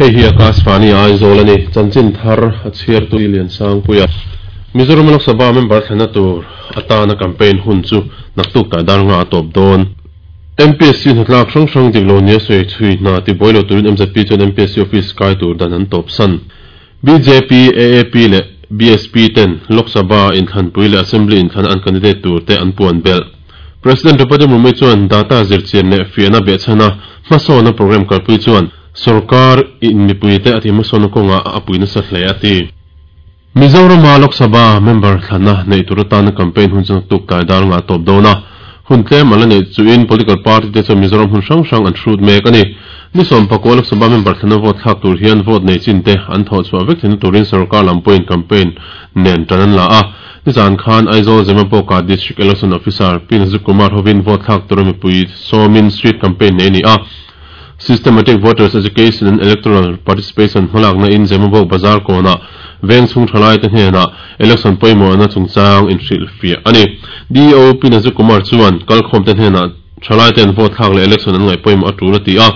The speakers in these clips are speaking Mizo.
Hei hi Akashvani Aizawl a ni. Chanchin thar a chhiartu Liansangpuia. Mizoram Lok Sabha member thlenna tur atana campaign hun chu naktuk tlai dar nga a tawp dawn. MPSC hnatlak hrang hrang dik lo nia sawi chhui hna tibuai lo turin MZP chuan MPSC office kai tur dan an tawp san. Bjp, AAP leh BSP ten Lok Sabha inthlanpui leh Assembly inthlan an candidate tur te an puan belh. President Draupadi Murmu chuan data zirchian leh fiahna behchhana hmasawnna programme kalpui chuan sorkar in mipuite a tihhmasawnna kawngah a pui nasa hle a ti. Mizorama Lok Sabha member thlanna neih tur atana campaign hun chu naktuk tlai dar ngah tawp dawn a, hun tlem an la neih chuhin political party te chuan Mizoram hun hrang hrang an hrut mek a ni. Ni sawmpakua Lok Sabha member thlanna vote thlak tur hian vote nei chin te an thawh chhuah vek theihna turin sorkar lam pawhin campaign nen tan an la a. Nizan khan Aizawl Zemabawka District Election Officer Pi Nazik Kumar hovin vote thlak tura mipui sawmin street campaign nei a ni a. Systematic Voters Education and Electoral Participation hmalakna in Zemabawk Bazar kawnah veng chhung thalaite hnenah election pawimawhna chungchang inhrilhfiah a ni. DEO Pi Nazik Kumar chuan kalkhawmte hnenah thalaite'n vote thlak leh election an ngaih pawimawh a tul a ti a.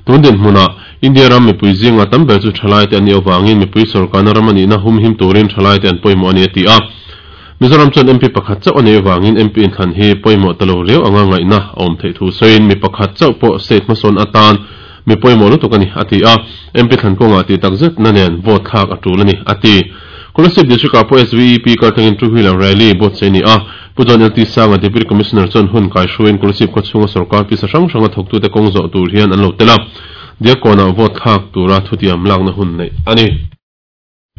Tun dinhmunah India ram mipui zinga tam ber chu thalaite an nih avangin mipui sawrkarna ram a nihna humhim turin thalaite an pawimawh a ni a ti a. Mizoram chuan MP pakhat chauh a neih avangin MP inthlan hi pawimawh ta lo riau anga ngaihna a awm theih thu sawiin mi pakhat chauh pawh state hmasawn atan mi pawimawh lutuk a ni a ti a, MP thlan kawngah tih tak zetna nen vote thlak a tul a ni a ti. Kolasib District ah pawh SVEP kaltlangin two wheeler rally buatsaih a ni a, Pu John LT Sanga Deputy Commissioner chuan hun kaihruaiin Kolasib khawchhunga sorkar pisa hrang hranga thawktute kawng zawh tur hian an lo tel a, Diakkawnah vote thlak tura thutiam lakna hun neih a ni.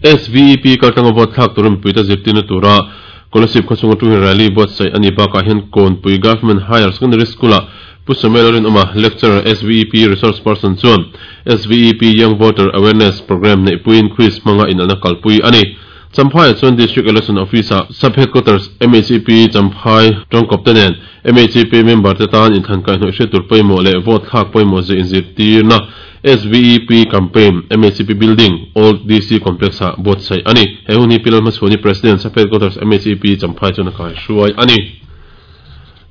SVEP kaltlanga vote thlak tura mipuite zirtirna tura Kolasib khawchhunga two wheeler rally buatsaih a nih bakah hian Kawnpui Government Higher Secondary School-ah Pu Samuel Rinawma, Lecturer, SVEP Resource Person chuan SVEP Young Voter Awareness Programme neihpuiin quiz hmanga inalna kalpui a ni. Champhaiah chuan District Election Office-ah Sub Headquarters MHEP Champhai tawngkawpte nen MHEP member te tan inthlan kaihhnawih hriat tur pawimawh leh vote thlak pawimawh zia inzirtirna SVEP Campaign MHEP Building, Old DC Complex-ah buatsaih a ni. He hun hi Pi Lalhmachhuani President Sub Headquarters MHEP Champhai chuan a kaihruai a ni.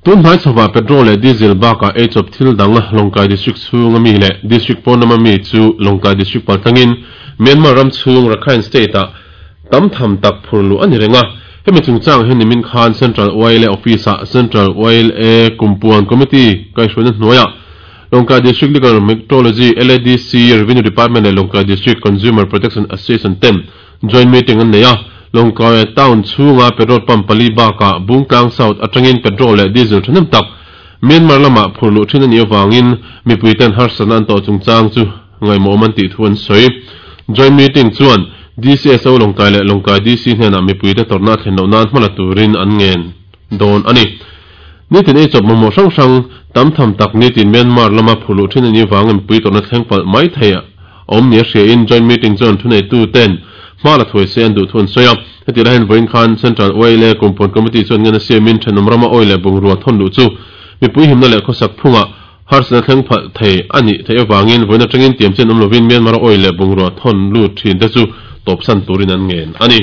Tun hnai chhovah petrol leh diesel bakah eichawp thil dang Lawngtlai District chhunga mi leh District pawn lama mi chu Lawngtlai District paltlangin Myanmar ram chhung Rakhine State-ah tam tham tak phur luh a ni reng a. Hemi chungchang hian nimin khan Central YLA Office-ah Central YLA Kumpuan Committee kaihhruaina hnuaiah Lawngtlai District Legal Metrology, LADC, Revenue Department leh Lawngtlai District Consumer Protection Association ten Joint meeting an nei a, Lawngtlai town chhunga petrol pump pali bakah Bungtlang South atangin petrol leh diesel thahnem tak Myanmar lamah phur luh thin a nih avangin mipuiten harsatna an tawh chungchang chu ngaihmawhawm an tih thu an sawi. Joint meeting chuan DCSO Lawngtlai leh Lawngtlai DC hnenah mipuite tawrhna a thlen loh nan hmala turin an ngen dawn a ni. Nitin eichawp mamawh hrang hrang tam tham tak nitin Myanmar lama phur luh thin a nih avangin mipui tawrhna thleng palh mai thei a awm nia hriain joint meeting chuan thuneituten hma la thuai se an duh thu an sawi a. Heti lai hian vawiin khan Central Oil Kumpuan Committee chuan ngen a siamin thenawm rama oil leh bungrua thawn luh chu mipui himna leh khawsak phungah harsatna thleng phalh thei a nih theih avangin vawiin atangin tiam chen awm lovin Myanmar-a oil leh bungrua thawn lut thin te chu tawpsan turin an ngen a ni.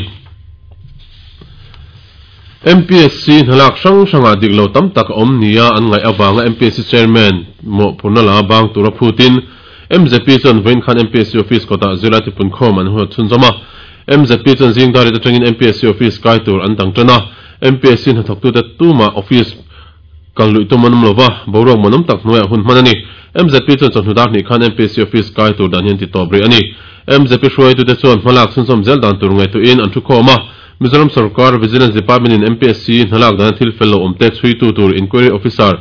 MPSC hnalak hrang hrangah dik lo tam tak a awm nia an ngaih avanga MPSC Chairman mawhphurhna la bang tura phutin MZP chuan vawiin khan MPSC office kawtah zirlai tipun khawm an huat chhunzawm a. MZP chuan zing darit atangin MPSC office kai tur an dang tan a. MPSC hnathawktute tumah office kal luih tum an awm lo va, boruak muanawm tak hnuaiah hun hman a ni. MZP chuan chawhnu dar hnih khan MPSC office kai tur dan hi an ti tawp rih a ni. MZP hruaitute chuan hmalak chhunzawm zel dan tur ngaihtuahin an thu khawm a. Mizoram sorkar Vigilance Department in MPSC hnalak dana thil fel lo awmte chhuitu tur Inquiry Officer,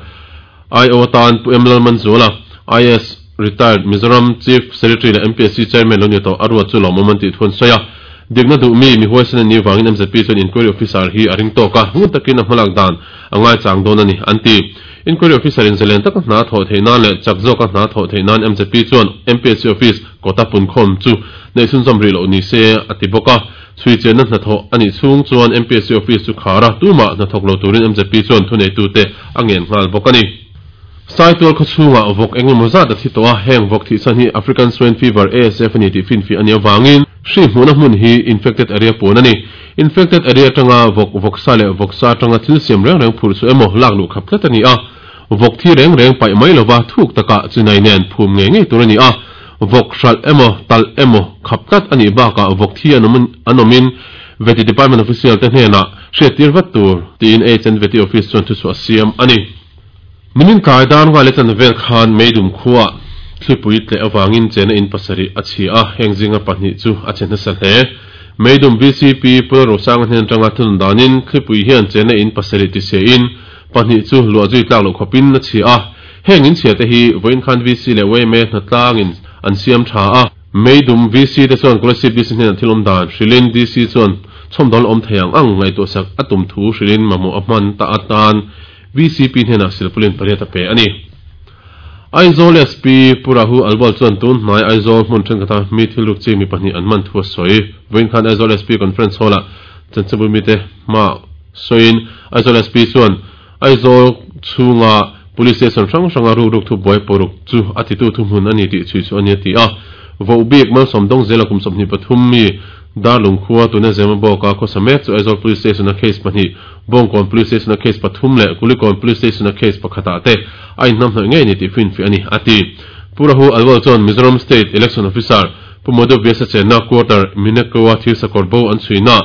IO atan Pu M Lalmanzuala, IAS, Retired, Mizoram Chief Secretary leh MPSC Chairman lo ni tawh a ruat chu lawmawm an tih thu an sawi a. Dikna duh mi, mi huaisen an nih vangin MZP chuan Inquiry Officer hi a ring tawk a, ngun takin a hmalak dan a ngaichang dawn a ni, an ti. Inquiry Officer in zalen taka hna thawh theih nan leh chak zawka hna thawh theih nan MZP chuan MPSC Office kawta punkhawm chu neih chhunzawm rih loh ni se a ti bawk a. Chhuichianna hnathawh a nih chhung chuan MPSC office chu khar a, tumah hnathawk lo turin MZP chuan thuneitute a ngen nghal bawk a ni. Saitual khawchhungah vawk engemaw zat a thi tawh a, heng vawk thihchhan hi African Swine Fever, ASF, a ni tih finfiah a nih avangin hri hmuhna hmun hi infected area puan a ni. Infected area atanga vawk, vawksa leh vawksa atanga thil siam reng reng phurh chu emaw lak luh khap tlat a ni a, vawk thi reng reng paih mai lova thuk takah chinai nen phum ngei ngei tur a ni a. Vawk hralh emaw, talh emaw khap tlat a nih bakah vawk thi an awm an awmin Vety Department official te hnenah hriattir vat tur tiin HN Vety Office chuan thuchhuah a siam a ni. Nimin tlai dar ngai leh chan vel khan Meidum khuaah thlipui tleh avangin chena in pasarih a chhia a, heng zinga pahnih chu a chhe hnasa hle. Meidum VCP Pula Rosanga hnen atanga thunun danin thlipui hian chena in pasarih ti chhe in pahnih chu luah zui tlak loh khawpin a chhia a. Heng in chhia te hi vawiin khan VC leh yma hnatlangin an siam tha a. Meidum VC te chuan Kolasib DC hnenah thil awm dan hrilhin DC chuan chhawmdawl awm thei ang ang ngaihtuahsak a tum thu hrilhin mamawh a hman ta atan VCP hnenah silpulin pariat a pe a ni. Aizawl SP Pu Rahu Alwal chuan tun hnai Aizawl hmun thenkhatah mi thil ruk chi mi pahnih an man thu a sawi. Vawiin khan Aizawl SP Conference Hall-ah chanchinbu mite hmaah sawiin Aizawl SP chuan Aizawl chhunga Police Station hrang hranga ruk ruk thu buai paruk chu a titu thuhmun a ni tih chhui chu a ni a ti a. Vohbik Malsawm Dawngzela kum 23 mi Darlung khua tuna Zemabawka khawsa mek chu Aizawl Police Station-a case pahnih, Bawngkawn Police Station-a case pathum leh Kulikawn Police Station-a case pakhatah te a inhnamhnawih ngei a ni tih finfiah a ni, a ti. Pu Rahu Alwal chuan Mizoram State Election Officer Pu Madhu Vyasa chenna Quarter Minekoa thirsakawr bo an chhuina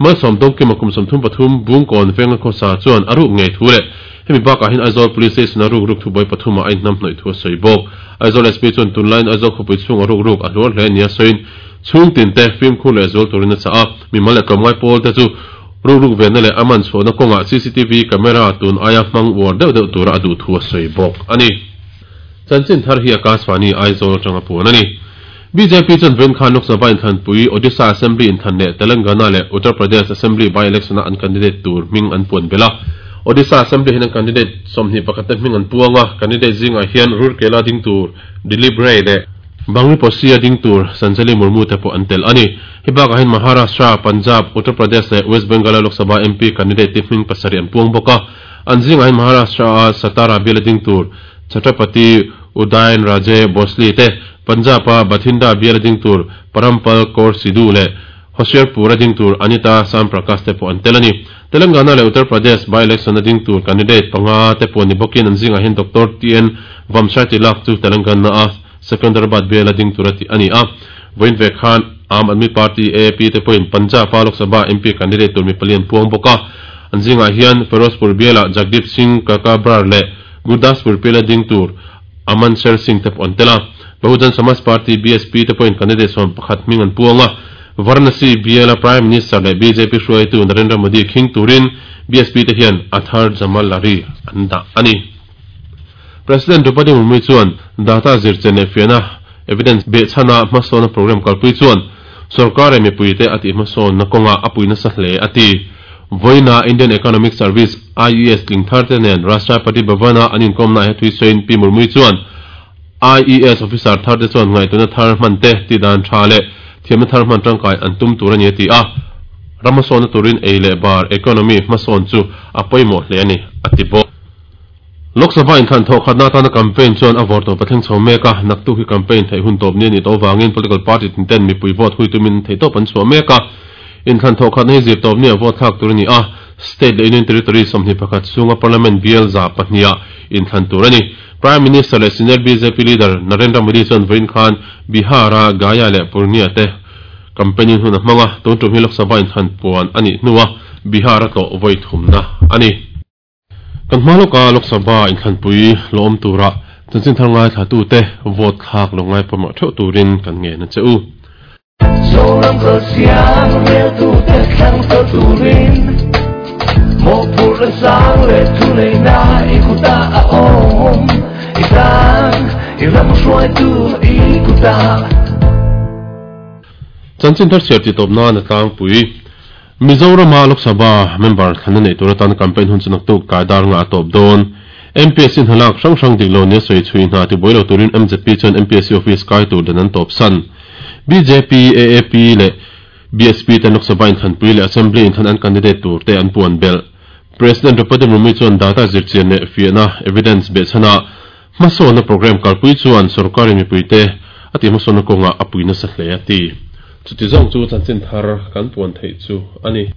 Malsawm Dawngkima kum 33 Bungkawn venga khawsa chuan a ruk ngei thu leh hemi bakah hian Aizawl Police Station-a ruk ruk thubuai pathumah a inhnamhnawih thu a sawi bawk. Aizawl SP chuan tunlaiin Aizawl khawpui chhunga ruk ruk a hluar hle nia sawiin Chhung tin te fimkhur leh zual turin a chah a, mimal leh tlawmngai pawl te chu rukruk venna leh a man chhuahna kawngah cctv camera tun aia hmang uar deuh deuh tura a duh thu a sawi bawk a ni. Chanchin thar hi Akashvani Aizawl atanga puan a ni. Bjp chuan vawiin khan Lok Sabha inthlanpui, Odisha Assembly inthlan leh Telangana leh Uttar Pradesh Assembly by-election-a an candidate tur hming an puan belh a. Odisha Assembly hian an candidate 21 te hming an puang a, candidate zingah hian Rourkela ding tur Dilip Ray leh Bangriposi a ding tur Sanjali Murmu te pawh an tel a ni. Hei bakah hian Maharashtra, Punjab, Uttar Pradesh leh West Bengal-a Lok Sabha MP candidate te hming pasarih an puang bawk a. An zingah hian Maharashtra-a Satara bial a ding tur Chhatrapati Udayan Raje Bhosle te, Punjab-a Bathinda bial a ding tur Parampal Kaur Sidhu leh Hoshiarpur a ding tur Anita Sam Prakash te pawh an tel a ni. Telangana leh Uttar Pradesh by-election a ding tur candidate panga te pawh ni bawkin an zingah hian Doctor TN Vamsai Tilak chu Telangana-a Secunderabad biala ding tura tih a ni a. Vawiin ve khan Aam Aadmi Party, AAP, te pawhin Punjab-a Lok Sabha MP candidate tur mi pali an puang bawk a. An zingah hian Ferozpur biala Jagdeep Singh Kaka Brar leh Gurdaspur biala ding tur Aman Sher Singh te pawh an tel a. Bahujan Samaj Party, BSP, te pawhin candidate 11 hming an puang a. Varanasi biala Prime Minister leh bjp hruaitu Narendra Modi khing turin BSP te hian Athar Jamal Lari an dah a ni. President Draupadi Murmu chuan data zirchen leh fiahna, evidence, behchhana hmasawnna program kalpui chuan sorkar leh mipuite a tihhmasawnna kawngah a pui nasa hle a ti. Vawiina Indian Economic Service, IES, tling tharte nen Rashtrapati Bhavan-a an inkawmnaah he thuisawiin Pi Murmu chuan IES officer tharte chuan ngaihtuahna thar hman te, tihdan tha leh thiamna thar hman tangkai an tum tur a ni a ti a. Ram hmasawnna turin ei leh bar, economy, hmasawn chu a pawimawh hle a ni, a ti bawk. Lok Sabha inthlan thawh khatna atana campaign chuan a vawr tawp a thleng chho mek a, naktuk hi campaign theih hun tawp ni a nih tawh avangin political party tin ten mipui vote hui tumin an theihtawp an chhuah mek a. Inthlan thawh khatna hi zir tawp nia vote thlak tur a ni a, state leh union territory 21 chhunga parliament bial 200 ah inthlan tur a ni. Prime Minister leh senior bjp leader Narendra Modi chuan vawiin khan Bihar-a Gaya leh Purnia te campaign in hun a hmang a, tun tum hi Lok Sabha inthlan puan a nih hnua Bihar a tlawh vawi thumna a ni. Kan hma lawka Lok Sabha inthlanpui lawm tura chanchin thar ngaithlatute vote thlak lo ngai pawimawh theuh turin kan ngen a che u. Zoram Kalsiang reltute thlang fel turin mawhphurhna sang leh thuneihna i kutah a awm i tan i ram hruaitu i kutah. Chanchin thar chhiar tih tawp nan a tlangpui. Mizorama Lok Sabha member thlanna neih tur atan campaign hun chu naktuk tlai dar nga a tawp dawn. MPSC hnalak hrang hrang dik lo nia sawi chhui hna tibuai lo turin MZP chuan MPSC office kai tur dan an tawp san. Bjp, AAP leh BSP ten Lok Sabha inthlanpui leh Assembly inthlan an candidate tur te an puan belh. President Draupadi Murmu chuan data zirchian leh fiahna, evidence, behchhana hmasawnna program kalpui chuan sorkarin mipuite a tihhmasawnna kawngah a pui nasa hle a ti. Chuti zawng chu chanchin thar kan puan theih chu a ni.